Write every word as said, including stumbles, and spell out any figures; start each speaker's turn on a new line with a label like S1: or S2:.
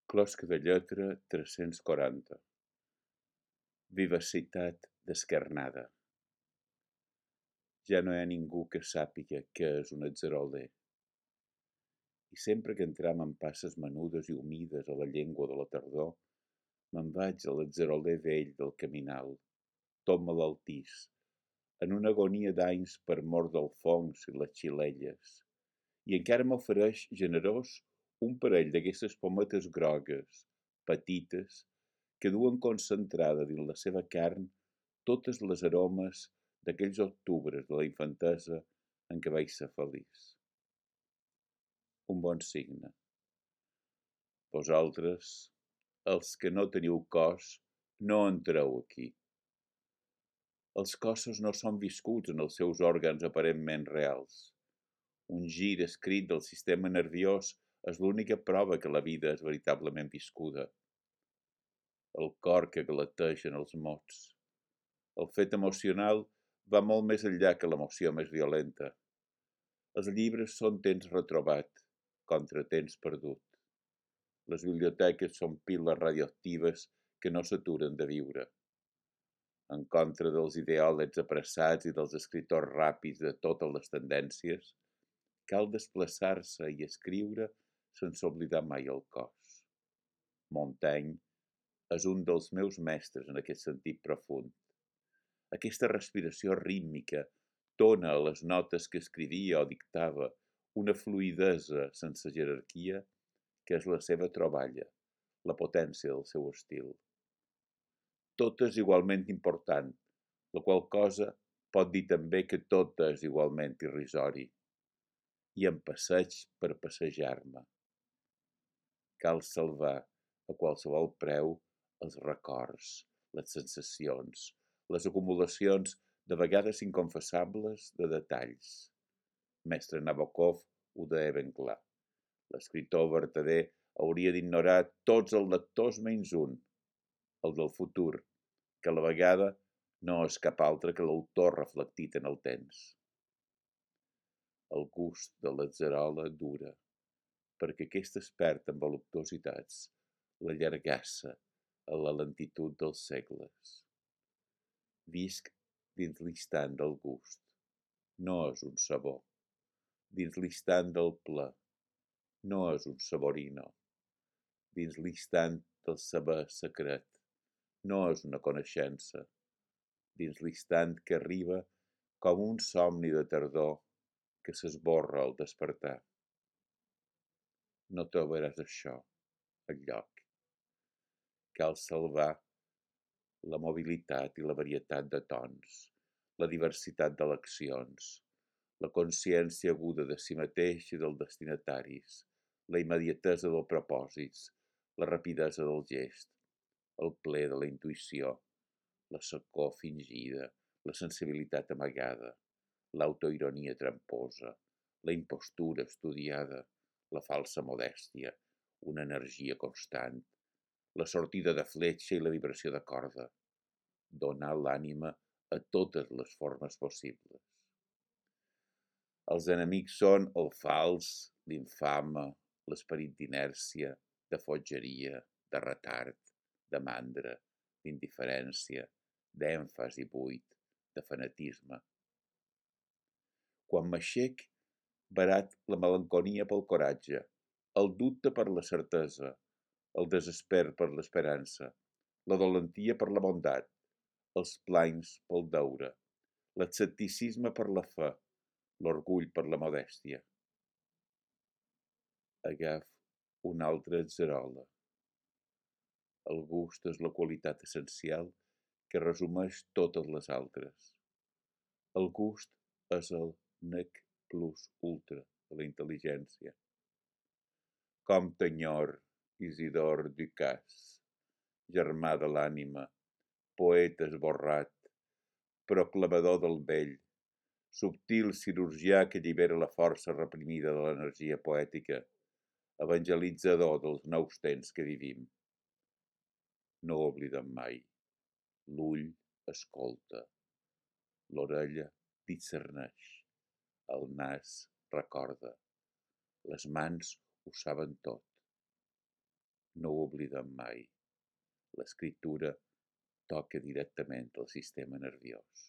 S1: Closca de lletra tres-cents quaranta. Vivacitat descarnada. Ja no hi ha ningú que sàpiga què és un atzeroler. I sempre que entram en passes menudes i humides a la llengua de la tardor, me'n vaig a l'atzeroler vell del caminal, tot malaltís, en una agonia d'anys per mort del fongs i les xilelles, i encara m'ofereix generós un parell d'aquestes pometes grogues, petites, que duen concentrada dins la seva carn totes les aromes d'aquells octubres de la infantesa en què vaig ser feliç. Un bon signe. Vosaltres, els que no teniu cos, no entreu aquí. Els cossos no són viscuts en els seus òrgans aparentment reals. Un gir escrit del sistema nerviós és l'única prova que la vida és veritablement viscuda. El cor que galategen els mots. El fet emocional va molt més enllà que l'emoció més violenta. Els llibres són temps retrobat, contra temps perdut. Les biblioteques són piles radioactives que no s'aturen de viure. En contra dels ideòlegs apressats i dels escriptors ràpids de totes les tendències, cal desplaçar-se i escriure sense oblidar mai el cos. Montaigne és un dels meus mestres en aquest sentit profund. Aquesta respiració rítmica dona a les notes que escrivia o dictava una fluïdesa sense jerarquia que és la seva troballa, la potència del seu estil. Tot és igualment important, la qual cosa pot dir també que tot és igualment irrisori. I em passeig per passejar-me. Cal salvar a qualsevol preu els records, les sensacions, les acumulacions de vegades inconfessables de detalls. Mestre Nabokov ho deia ben clar. L'escriptor vertader hauria d'ignorar tots els lectors menys un, el del futur, que a la vegada no és cap altre que l'autor reflectit en el temps. El gust de l'atzerola dura, perquè aquesta es perd en voluptuositats, la llargassa a la lentitud dels segles. Visc dins l'instant del gust, no és un sabor. Dins l'instant del pla, no és un saborino. Dins l'instant del saber secret, no és una coneixença. Dins l'instant que arriba com un somni de tardor que s'esborra al despertar. No trobaràs això enlloc. Cal salvar la mobilitat i la varietat de tons, la diversitat d'eleccions, la consciència aguda de si mateix i dels destinataris, la immediatesa dels propòsits, la rapidesa del gest, el ple de la intuïció, la secor fingida, la sensibilitat amagada, l'autoironia tramposa, la impostura estudiada, la falsa modèstia, una energia constant, la sortida de fletxa i la vibració de corda, donar l'ànima a totes les formes possibles. Els enemics són el fals, l'infame, l'esperit d'inèrcia, de fotgeria, de retard, de mandra, d'indiferència, d'èmfasi buit, de fanatisme. Quan m'aixec, barat la melancolia pel coratge, el dubte per la certesa, el desesper per l'esperança, la dolentia per la bondat, els planys pel deure, l'escepticisme per la fe, l'orgull per la modèstia. Agaf una altra atzerola. El gust és la qualitat essencial que resumeix totes les altres. El gust és el nec plus ultra de la intel·ligència. Com t'enyor, Isidor Ducasse, germà de l'ànima, poeta esborrat, proclamador del vell, subtil cirurgià que allibera la força reprimida de l'energia poètica, evangelitzador dels nous temps que vivim. No ho oblidem mai. L'ull escolta, l'orella discerneix, el nas recorda, les mans ho saben tot. no ho oblidem mai. L'escriptura toca directament el sistema nerviós.